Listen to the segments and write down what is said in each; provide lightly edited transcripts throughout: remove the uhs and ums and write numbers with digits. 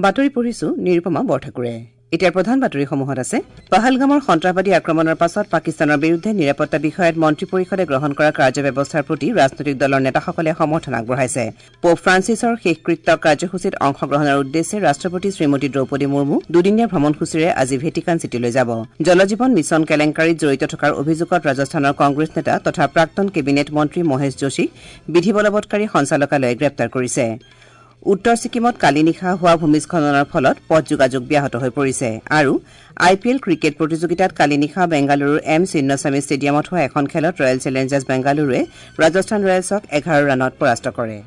বাতৰি পঢ়িছো নিৰুপমা বৰঠাকুৰে। এতিয়া প্ৰধান বাতৰিসমূহত আছে পহলগামৰ সন্ত্ৰাসবাদী আক্ৰমণৰ পাছত পাকিস্তানৰ বিৰুদ্ধে নিৰাপত্তা বিষয়ত মন্ত্ৰী পৰিষদে গ্ৰহণ কৰা কাৰ্যব্যৱস্থাৰ প্ৰতি ৰাজনৈতিক দলৰ নেতাসকলে সমৰ্থন আগবঢ়াইছে। পোপ ফ্ৰান্সিছৰ শেষকৃত্য কাৰ্যসূচীত অংশগ্ৰহণৰ উদ্দেশ্যে ৰাষ্ট্ৰপতি শ্ৰীমতী দ্ৰৌপদী মুৰ্মু দুদিনীয়া ভ্ৰমণসূচীৰে আজি ভেটিকান চিটিলৈ যাব। জলজীৱন মিছন কেলেংকাৰীত জড়িত থকাৰ অভিযোগত ৰাজস্থানৰ কংগ্ৰেছ নেতা তথা প্ৰাক্তন কেবিনেট মন্ত্ৰী মহেশ যোশীক বিধি বলবৎকাৰী সঞ্চালকালয়ে গ্ৰেপ্তাৰ কৰিছে। উত্তৰ ছিকিমত কালি নিশা হোৱা ভূমিস্খলনৰ ফলত পথ যোগাযোগ ব্যাহত হৈ পৰিছে। আৰু আই পি এল ক্ৰিকেট প্ৰতিযোগিতাত কালি নিশা বেংগালুৰুৰ এম চিন্নস্বামী ষ্টেডিয়ামত হোৱা এখন খেলত ৰয়েল চেলেঞ্জাৰ্ছ বেংগালুৰুৱে ৰাজস্থান ৰয়েলছক ১১ ৰানত পৰাস্ত কৰে।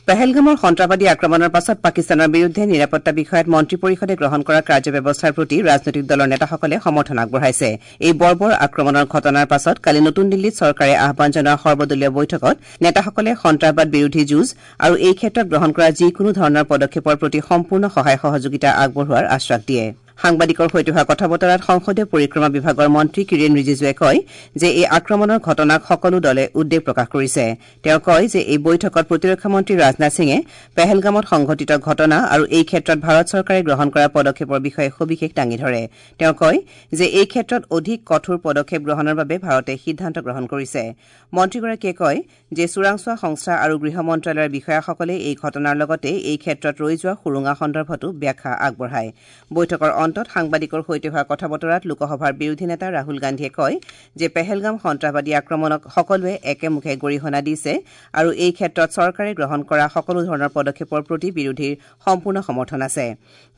পেহেলগামৰ সন্ত্ৰাসবাদী আক্ৰমণৰ পাছত পাকিস্তানৰ বিৰুদ্ধে নিৰাপত্তা বিষয়ত মন্ত্ৰী পৰিষদে গ্ৰহণ কৰা কাৰ্যব্যৱস্থাৰ প্ৰতি ৰাজনৈতিক দলৰ নেতাসকলে সমৰ্থন আগবঢ়াইছে। এই বৰ্বৰ আক্ৰমণৰ ঘটনাৰ পাছত কালি নতুন দিল্লীত চৰকাৰে আহ্বান জনোৱা সৰ্বদলীয় বৈঠকত নেতাসকলে সন্ত্ৰাসবাদ বিৰোধী যুঁজ আৰু এই ক্ষেত্ৰত গ্ৰহণ কৰা যিকোনো ধৰণৰ পদক্ষেপৰ প্ৰতি সম্পূৰ্ণ সহায় সহযোগিতা আগবঢ়োৱাৰ আশ্বাস দিয়ে। সাংবাদিকৰ সৈতে হোৱা কথা বতৰাত সংসদীয় পৰিক্ৰমা বিভাগৰ মন্ত্ৰী কিৰেণ ৰিজিজুৱে কয় যে এই আক্ৰমণৰ ঘটনাক সকলো দলে উদ্বেগ প্ৰকাশ কৰিছে। তেওঁ কয় যে এই বৈঠকত প্ৰতিৰক্ষা মন্ত্ৰী ৰাজনাথ সিঙে পেহেলগামত সংঘটিত ঘটনা আৰু এই ক্ষেত্ৰত ভাৰত চৰকাৰে গ্ৰহণ কৰা পদক্ষেপৰ বিষয়ে সবিশেষ দাঙি ধৰে। তেওঁ কয় যে এই ক্ষেত্ৰত অধিক কঠোৰ পদক্ষেপ গ্ৰহণৰ বাবে ভাৰতে সিদ্ধান্ত গ্ৰহণ কৰিছে। মন্ত্ৰীগৰাকীয়ে কয় যে চোৰাংচোৱা সংস্থা আৰু গৃহ মন্ত্ৰালয়ৰ বিষয়াসকলে এই ঘটনাৰ লগতে এই ক্ষেত্ৰত ৰৈ যোৱা সুৰুঙা সন্দৰ্ভতো ব্যাখ্যা আগবঢ়ায়। বৈঠকৰ অন্তত সাংবাদিকৰ সৈতে হোৱা কথা বতৰাত লোকসভাৰ বিৰোধী নেতা ৰাহুল গান্ধীয়ে কয় যে পেহেলগাম সন্ত্ৰাসবাদী আক্ৰমণক সকলোৱে একেমুখে গৰিহণা দিছে আৰু এই ক্ষেত্ৰত চৰকাৰে গ্ৰহণ কৰা সকলো ধৰণৰ পদক্ষেপৰ প্ৰতি বিৰোধীৰ সম্পূৰ্ণ সমৰ্থন আছে।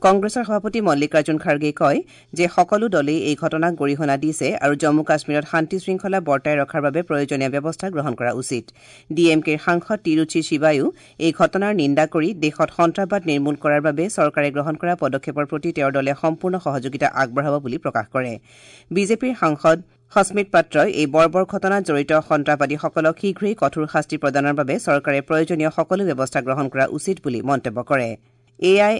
কংগ্ৰেছৰ সভাপতি মল্লিকাৰ্জুন খাৰ্গেই কয় যে সকলো দলেই এই ঘটনাক গৰিহণা দিছে আৰু জম্মু কাশ্মীৰত শান্তি শৃংখলা বৰ্তাই ৰখাৰ বাবে প্ৰয়োজনীয় ব্যৱস্থা গ্ৰহণ কৰা উচিত। ডি এম কেৰ সাংসদ তিৰুচি শিৱায়ো এই ঘটনাৰ নিন্দা কৰি দেশত সন্ত্ৰাসবাদ নিৰ্মূল কৰাৰ বাবে চৰকাৰে গ্ৰহণ কৰা পদক্ষেপৰ প্ৰতি তেওঁৰ দলে সম্পূৰ্ণ সহযোগিতা আগবঢ়াব বুলি প্ৰকাশ কৰে। বিজেপিৰ সাংসদ সস্মিত পাত্ৰই এই বৰ্বৰ ঘটনাত জড়িত সন্ত্ৰাসবাদীসকলক শীঘ্ৰেই কঠোৰ শাস্তি প্ৰদানৰ বাবে চৰকাৰে প্ৰয়োজনীয় সকলো ব্যৱস্থা গ্ৰহণ কৰা উচিত বুলি মন্তব্য কৰে। এ I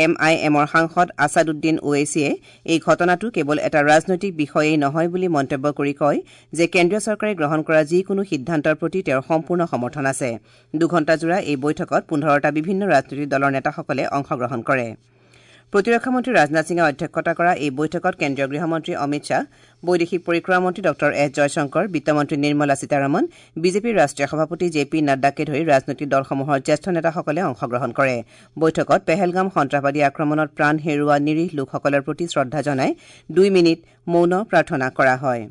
am আই এমৰ সাংসদ আছাদুদ্দিন ওৱেছিয়ে এই ঘটনাটো কেৱল এটা ৰাজনৈতিক বিষয়েই নহয় বুলি মন্তব্য কৰি কয় যে কেন্দ্ৰীয় চৰকাৰে গ্ৰহণ কৰা যিকোনো সিদ্ধান্তৰ প্ৰতি তেওঁৰ সম্পূৰ্ণ সমৰ্থন আছে। দুঘণ্টাজোৰা এই বৈঠকত ১৫টা বিভিন্ন ৰাজনৈতিক দলৰ নেতাসকলে অংশগ্ৰহণ কৰে। প্ৰতিৰক্ষা মন্ত্ৰী ৰাজনাথ সিঙে অধ্যক্ষতা কৰা এই বৈঠকত কেন্দ্ৰীয় গৃহমন্ত্ৰী অমিত শ্বাহ, বৈদেশিক পৰিক্ৰমা মন্ত্ৰী ডঃ এছ জয়শংকৰ, বিত্তমন্ত্ৰী নিৰ্মলা সীতাৰমণ, বিজেপিৰ ৰাষ্ট্ৰীয় সভাপতি জে পি নাড্ডাকে ধৰি ৰাজনৈতিক দলসমূহৰ জ্যেষ্ঠ নেতাসকলে অংশগ্ৰহণ কৰে। বৈঠকত পেহেলগাম সন্ত্ৰাসবাদী আক্ৰমণত প্ৰাণ হেৰুওৱা নিৰীহ লোকসকলৰ প্ৰতি শ্ৰদ্ধা জনাই ২ মিনিট মৌন প্ৰাৰ্থনা কৰা হয়।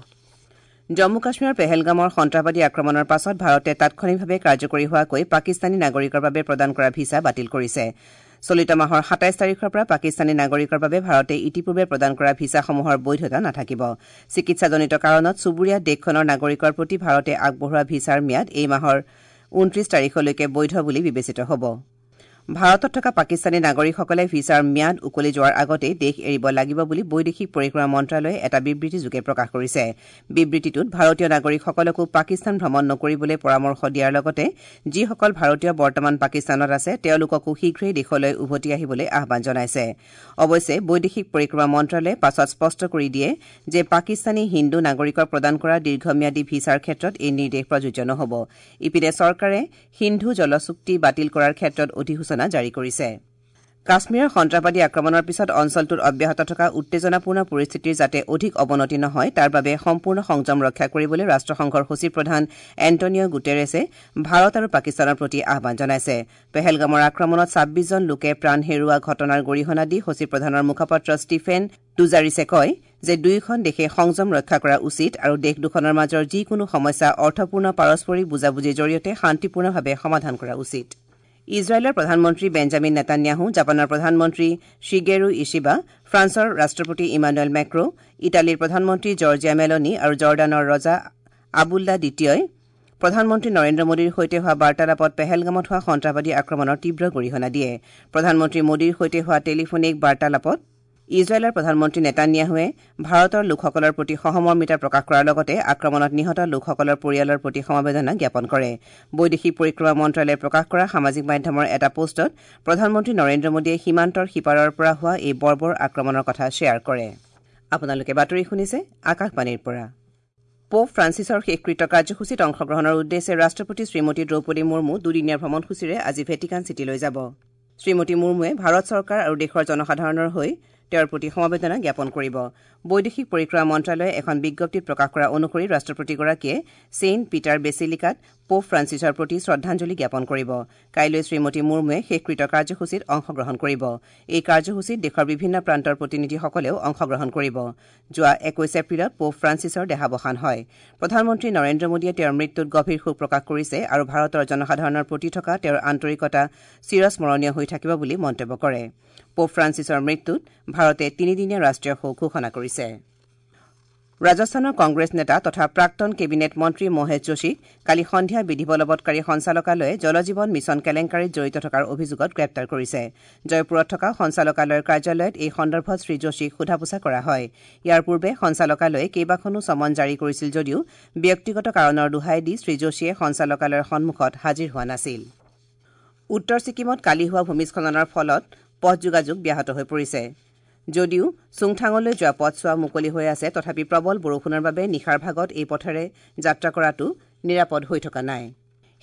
জম্মু কাশ্মীৰৰ পেহেলগামৰ সন্ত্ৰাসবাদী আক্ৰমণৰ পাছত ভাৰতে তাৎক্ষণিকভাৱে কাৰ্যকৰী হোৱাকৈ পাকিস্তানী নাগৰিকৰ বাবে প্ৰদান কৰা ভিছা বাতিল কৰিছে। চলিত মাহৰ ২৭ তাৰিখৰ পৰা পাকিস্তানী নাগৰিকৰ বাবে ভাৰতে ইতিপূৰ্বে প্ৰদান কৰা ভিছাসমূহৰ বৈধতা নাথাকিব। চিকিৎসাজনিত কাৰণত চুবুৰীয়া দেশখনৰ নাগৰিকৰ প্ৰতি ভাৰতে আগবঢ়োৱা ভিছাৰ ম্যাদ এই মাহৰ ২৯ তাৰিখলৈকে বৈধ বুলি বিবেচিত হ'ব। ভাৰতত থকা পাকিস্তানী নাগৰিকসকলে ভিছাৰ ম্যাদ উকলি যোৱাৰ আগতেই দেশ এৰিব লাগিব বুলি বৈদেশিক পৰিক্ৰমা মন্ত্ৰালয়ে এটা বিবৃতিযোগে প্ৰকাশ কৰিছে। বিবৃতিটোত ভাৰতীয় নাগৰিকসকলকো পাকিস্তান ভ্ৰমণ নকৰিবলৈ পৰামৰ্শ দিয়াৰ লগতে যিসকল ভাৰতীয় বৰ্তমান পাকিস্তানত আছে তেওঁলোককো শীঘ্ৰেই দেশলৈ উভতি আহিবলৈ আহ্বান জনাইছে। অৱশ্যে বৈদেশিক পৰিক্ৰমা মন্ত্ৰালয়ে পাছত স্পষ্ট কৰি দিয়ে যে পাকিস্তানী হিন্দু নাগৰিকক প্ৰদান কৰা দীৰ্ঘম্যাদী ভিছাৰ ক্ষেত্ৰত এই নিৰ্দেশ প্ৰযোজ্য নহ'ব। ইপিনে চৰকাৰে সিন্ধু জল চুক্তি বাতিল কৰাৰ ক্ষেত্ৰত অধিসূচনা জাৰি কৰিছে। কাশ্মীৰৰ সন্ত্ৰাসবাদী আক্ৰমণৰ পিছত অঞ্চলটোত অব্যাহত থকা উত্তেজনাপূৰ্ণ পৰিস্থিতিৰ যাতে অধিক অৱনতি নহয় তাৰ বাবে সম্পূৰ্ণ সংযম ৰক্ষা কৰিবলৈ ৰাষ্ট্ৰসংঘৰ সচিব প্ৰধান এণ্টনিঅ গুটেৰেছে ভাৰত আৰু পাকিস্তানৰ প্ৰতি আহ্বান জনাইছে। পেহেলগামৰ আক্ৰমণত ২৬ জন লোকে প্ৰাণ হেৰুওৱা ঘটনাৰ গৰিহণা দি সচিব প্ৰধানৰ মুখপাত্ৰ ষ্টিফেন ডুজাৰিছে কয় যে দুয়োখন দেশে সংযম ৰক্ষা কৰা উচিত আৰু দেশ দুখনৰ মাজৰ যিকোনো সমস্যা অৰ্থপূৰ্ণ পাৰস্পৰিক বুজাবুজিৰ জৰিয়তে শান্তিপূৰ্ণভাৱে সমাধান কৰা উচিত। ইজৰাইলৰ প্ৰধানমন্ত্ৰী বেঞ্জামিন নেতান্যাহু, জাপানৰ প্ৰধানমন্ত্ৰী শ্বিগেৰু ইছিবা, ফ্ৰান্সৰ ৰাষ্ট্ৰপতি ইমানুৱেল মেক্ৰ', ইটালীৰ প্ৰধানমন্ত্ৰী জৰ্জিয়া মেলনী আৰু জৰ্ডানৰ ৰজা আবুল্লা দ্বিতীয়ই প্ৰধানমন্ত্ৰী নৰেন্দ্ৰ মোদীৰ সৈতে হোৱা বাৰ্তালাপত পেহেলগামত হোৱা সন্ত্ৰাসবাদী আক্ৰমণৰ তীব্ৰ গৰিহণা দিয়ে। প্ৰধানমন্ত্ৰী মোদীৰ সৈতে হোৱা টেলিফোনিক বাৰ্তালাপত ইজৰাইলৰ প্ৰধানমন্ত্ৰী নেতান্যাহুৱে ভাৰতৰ লোকসকলৰ প্ৰতি সহমৰ্মিতা প্ৰকাশ কৰাৰ লগতে আক্ৰমণত নিহত লোকসকলৰ পৰিয়ালৰ প্ৰতি সমবেদনা জ্ঞাপন কৰে। বৈদেশিক পৰিক্ৰমা মন্ত্ৰালয়ে প্ৰকাশ কৰা সামাজিক মাধ্যমৰ এটা পোষ্টত প্ৰধানমন্ত্ৰী নৰেন্দ্ৰ মোদীয়ে সীমান্তৰ সিপাৰৰ পৰা হোৱা এই বৰ্বৰ আক্ৰমণৰ কথা শ্বেয়াৰ কৰে। আপোনালোকে বাতৰি শুনিছে আকাশবাণীৰ পৰা। পোপ ফ্ৰান্সিছৰ শেষকৃত্য কাৰ্যসূচীত অংশগ্ৰহণৰ উদ্দেশ্যে ৰাষ্ট্ৰপতি শ্ৰীমতী দ্ৰৌপদী মুৰ্মু দুদিনীয়া ভ্ৰমণসূচীৰে আজি ভেটিকান চিটিলৈ যাব। শ্ৰীমতী মুৰ্মুৱে ভাৰত চৰকাৰ আৰু দেশৰ জনসাধাৰণৰ হৈ তেওঁৰ প্ৰতি সমবেদনা জ্ঞাপন কৰিব। বৈদেশিক পৰিক্ৰমা মন্ত্ৰালয়ে এখন বিজ্ঞপ্তিত প্ৰকাশ কৰা অনুসৰি ৰাষ্ট্ৰপতিগৰাকীয়ে ছেইণ্ট পিটাৰ বেচিলিকাত পোপ ফ্ৰান্সিছৰ প্ৰতি শ্ৰদ্ধাঞ্জলি জ্ঞাপন কৰিব। কাইলৈ শ্ৰীমতী মুৰ্মুৱে শেষকৃত্য কাৰ্যসূচীত অংশগ্ৰহণ কৰিব। এই কাৰ্যসূচীত দেশৰ বিভিন্ন প্ৰান্তৰ প্ৰতিনিধিসকলেও অংশগ্ৰহণ কৰিব। যোৱা ২১ এপ্ৰিলত পোপ ফ্ৰান্সিছৰ দেহাৱসান হয়। প্ৰধানমন্ত্ৰী নৰেন্দ্ৰ মোদীয়ে তেওঁৰ মৃত্যুত গভীৰ শোক প্ৰকাশ কৰিছে আৰু ভাৰতৰ জনসাধাৰণৰ প্ৰতি থকা তেওঁৰ আন্তৰিকতা চিৰস্মৰণীয় হৈ থাকিব বুলি মন্তব্য কৰে। পোপ ফ্ৰান্সিছৰ মৃত্যুত ভাৰতে তিনিদিনীয়া ৰাষ্ট্ৰীয় শোক ঘোষণা কৰিছে। ৰাজস্থানৰ কংগ্ৰেছ নেতা তথা প্ৰাক্তন কেবিনেট মন্ত্ৰী মহেশ যোশীক কালি সন্ধিয়া বিধি বলবৎকাৰী সঞ্চালকালয়ে জলজীৱন মিছন কেলেংকাৰীত জড়িত থকাৰ অভিযোগত গ্ৰেপ্তাৰ কৰিছে। জয়পুৰত থকা সঞ্চালকালয়ৰ কাৰ্যালয়ত এই সন্দৰ্ভত শ্ৰী যোশীক সোধা পোছা কৰা হয়। ইয়াৰ পূৰ্বে সঞ্চালকালয়ে কেইবাখনো চমন জাৰি কৰিছিল যদিও ব্যক্তিগত কাৰণৰ দোহাই দি শ্ৰী যোশীয়ে সঞ্চালকালয়ৰ সন্মুখত হাজিৰ হোৱা নাছিল। উত্তৰ ছিকিমত কালি হোৱা ভূমিস্খলনৰ ফলত পথ যোগাযোগ ব্যাহত হৈ পৰিছে। যদিও চুংথাঙলৈ যোৱা পথছোৱা মুকলি হৈ আছে, তথাপি প্ৰবল বৰষুণৰ বাবে নিশাৰ ভাগত এই পথেৰে যাত্ৰা কৰাটো নিৰাপদ হৈ থকা নাই।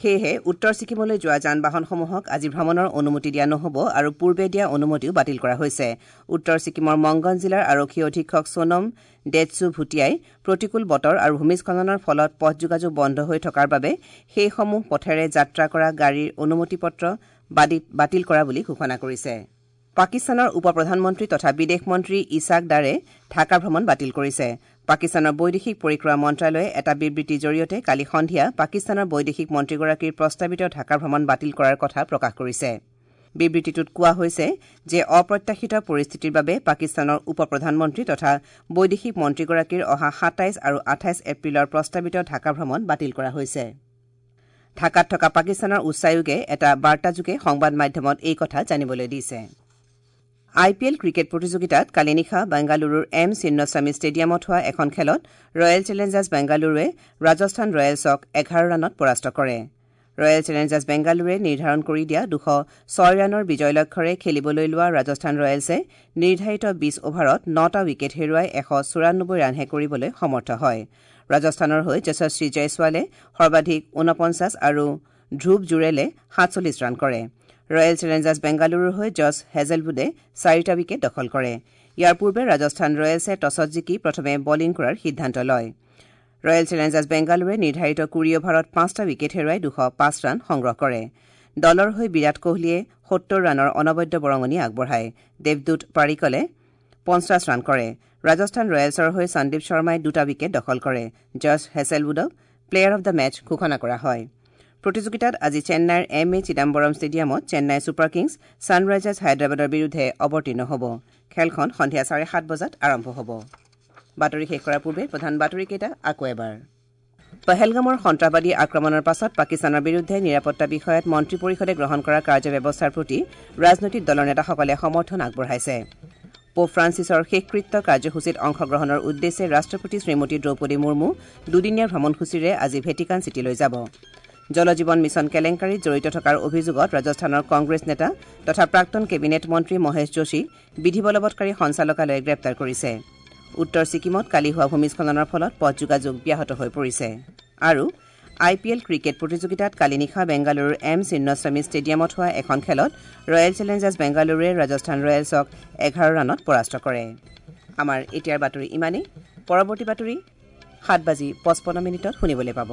সেয়েহে উত্তৰ ছিকিমলৈ যোৱা যান বাহনসমূহক আজি ভ্ৰমণৰ অনুমতি দিয়া নহ'ব আৰু পূৰ্বে দিয়া অনুমতিও বাতিল কৰা হৈছে। উত্তৰ ছিকিমৰ মংগন জিলাৰ আৰক্ষী অধীক্ষক সোণম ডেটছু ভূটীয়াই প্ৰতিকূল বতৰ আৰু ভূমিস্খলনৰ ফলত পথ যোগাযোগ বন্ধ হৈ থকাৰ বাবে সেইসমূহ পথেৰে যাত্ৰা কৰা গাড়ীৰ অনুমতি পত্ৰ বাতিল কৰা বুলি ঘোষণা কৰিছে। পাকিস্তানৰ উপ প্ৰধানমন্ত্ৰী তথা বিদেশ মন্ত্ৰী ইছাক দাৰে ঢাকা ভ্ৰমণ বাতিল কৰিছে। পাকিস্তানৰ বৈদেশিক পৰিক্ৰমা মন্ত্ৰালয়ে এটা বিবৃতিৰ জৰিয়তে কালি সন্ধিয়া পাকিস্তানৰ বৈদেশিক মন্ত্ৰীগৰাকীৰ প্ৰস্তাৱিত ঢাকা ভ্ৰমণ বাতিল কৰাৰ কথা প্ৰকাশ কৰিছে। বিবৃতিটোত কোৱা হৈছে যে অপ্ৰত্যাশিত পৰিস্থিতিৰ বাবে পাকিস্তানৰ উপ প্ৰধানমন্ত্ৰী তথা বৈদেশিক মন্ত্ৰীগৰাকীৰ অহা ২৭ আৰু ২৮ এপ্ৰিলৰ প্ৰস্তাৱিত ঢাকা ভ্ৰমণ বাতিল কৰা হৈছে। ঢাকাত থকা পাকিস্তানৰ উচ্চায়োগে এটা বাৰ্তাযোগে সংবাদ মাধ্যমত এই কথা জানিবলৈ দিছে। আই পি এল ক্ৰিকেট প্ৰতিযোগিতাত কালি নিশা বাংগালুৰুৰ এম চিন্নস্বামী ষ্টেডিয়ামত হোৱা এখন খেলত ৰয়েল চেলেঞ্জাৰ্ছ বেংগালুৰুৱে ৰাজস্থান ৰয়েলছক ১১ ৰানত পৰাস্ত কৰে। ৰয়েল চেলেঞ্জাৰ্ছ বেংগালুৰুৱে নিৰ্ধাৰণ কৰি দিয়া ২০৬ ৰানৰ বিজয় লক্ষ্যৰে খেলিবলৈ লোৱা ৰাজস্থান ৰয়েলছে নিৰ্ধাৰিত ২০ অভাৰত ৯টা উইকেট হেৰুৱাই ১৯৪ ৰানহে কৰিবলৈ সমৰ্থ হয়। ৰাজস্থানৰ হৈ যশস্বী জয়ছোৱালে সৰ্বাধিক ৪৯ আৰু ধ্ৰুৱ জুৰেলে ৪৭ ৰান কৰে। ৰয়েল চেলেঞ্জাৰ্ছ বেংগালুৰুৰ হৈ জছ হেজেলউডে ৪টা উইকেট দখল কৰে। ইয়াৰ পূৰ্বে ৰাজস্থান ৰয়েলছে টছত জিকি প্ৰথমে বলিং কৰাৰ সিদ্ধান্ত লয়। ৰয়েল চেলেঞ্জাৰ্ছ বেংগালুৰুৱে নিৰ্ধাৰিত ২০ অভাৰত ৫টা উইকেট হেৰুৱাই ২০৫ ৰান সংগ্ৰহ কৰে। দলৰ হৈ বিৰাট কোহলীয়ে ৭০ ৰানৰ অনবদ্য বৰঙণি আগবঢ়ায়। দেৱদূত পাৰিকলে ৫০ ৰান কৰে। ৰাজস্থান ৰয়েলছৰ হৈ সন্দীপ শৰ্মাই ২টা উইকেট দখল কৰে। জছ হেছেলউডক প্লেয়াৰ অব the match ঘোষণা কৰা হয়। প্ৰতিযোগিতাত আজি চেন্নাইৰ এম এ চিদাম্বৰম ষ্টেডিয়ামত চেন্নাই ছুপাৰ কিংছ ছানৰাইজাৰ্ছ হায়দৰাবাদৰ বিৰুদ্ধে অৱতীৰ্ণ হ'ব। খেলখন সন্ধিয়া ৭:৩০ বজাত আৰম্ভ হ'ব। বাতৰি শেষ কৰাৰ পূৰ্বে প্ৰধান বাতৰিকেইটা আকৌ এবাৰ। পহেলগামৰ সন্ত্ৰাসবাদী আক্ৰমণৰ পাছত পাকিস্তানৰ বিৰুদ্ধে নিৰাপত্তা বিষয়ত মন্ত্ৰী পৰিষদে গ্ৰহণ কৰা কাৰ্যব্যৱস্থাৰ প্ৰতি ৰাজনৈতিক দলৰ নেতাসকলে সমৰ্থন আগবঢ়াইছে। পোপ ফ্ৰান্সিছৰ শেষকৃত্য কাৰ্যসূচীত অংশগ্ৰহণৰ উদ্দেশ্যে ৰাষ্ট্ৰপতি শ্ৰীমতী দ্ৰৌপদী মুৰ্মু দুদিনীয়া ভ্ৰমণসূচীৰে আজি ভেটিকান চিটিলৈ যাব। জলজীৱন মিছন কেলেংকাৰীত জড়িত থকাৰ অভিযোগত ৰাজস্থানৰ কংগ্ৰেছ নেতা তথা প্ৰাক্তন কেবিনেট মন্ত্ৰী মহেশ যোশীক বিধি বলবৎকাৰী সঞ্চালকালয়ে গ্ৰেপ্তাৰ কৰিছে। উত্তৰ ছিকিমত কালি হোৱা ভূমিস্খলনৰ ফলত পথ যোগাযোগ ব্যাহত হৈ পৰিছে। আৰু আই পি এল ক্ৰিকেট প্ৰতিযোগিতাত কালি নিশা বেংগালুৰুৰ এম চিন্নস্বামী ষ্টেডিয়ামত হোৱা এখন খেলত ৰয়েল চেলেঞ্জাৰ্ছ বেংগালুৰুৱে ৰাজস্থান ৰয়েলছক ১১ ৰানত পৰাস্ত কৰে। আমাৰ এতিয়াৰ বাতৰি ইমানেই। পৰৱৰ্তী বাতৰি ৭:৫৫ শুনিবলৈ পাব।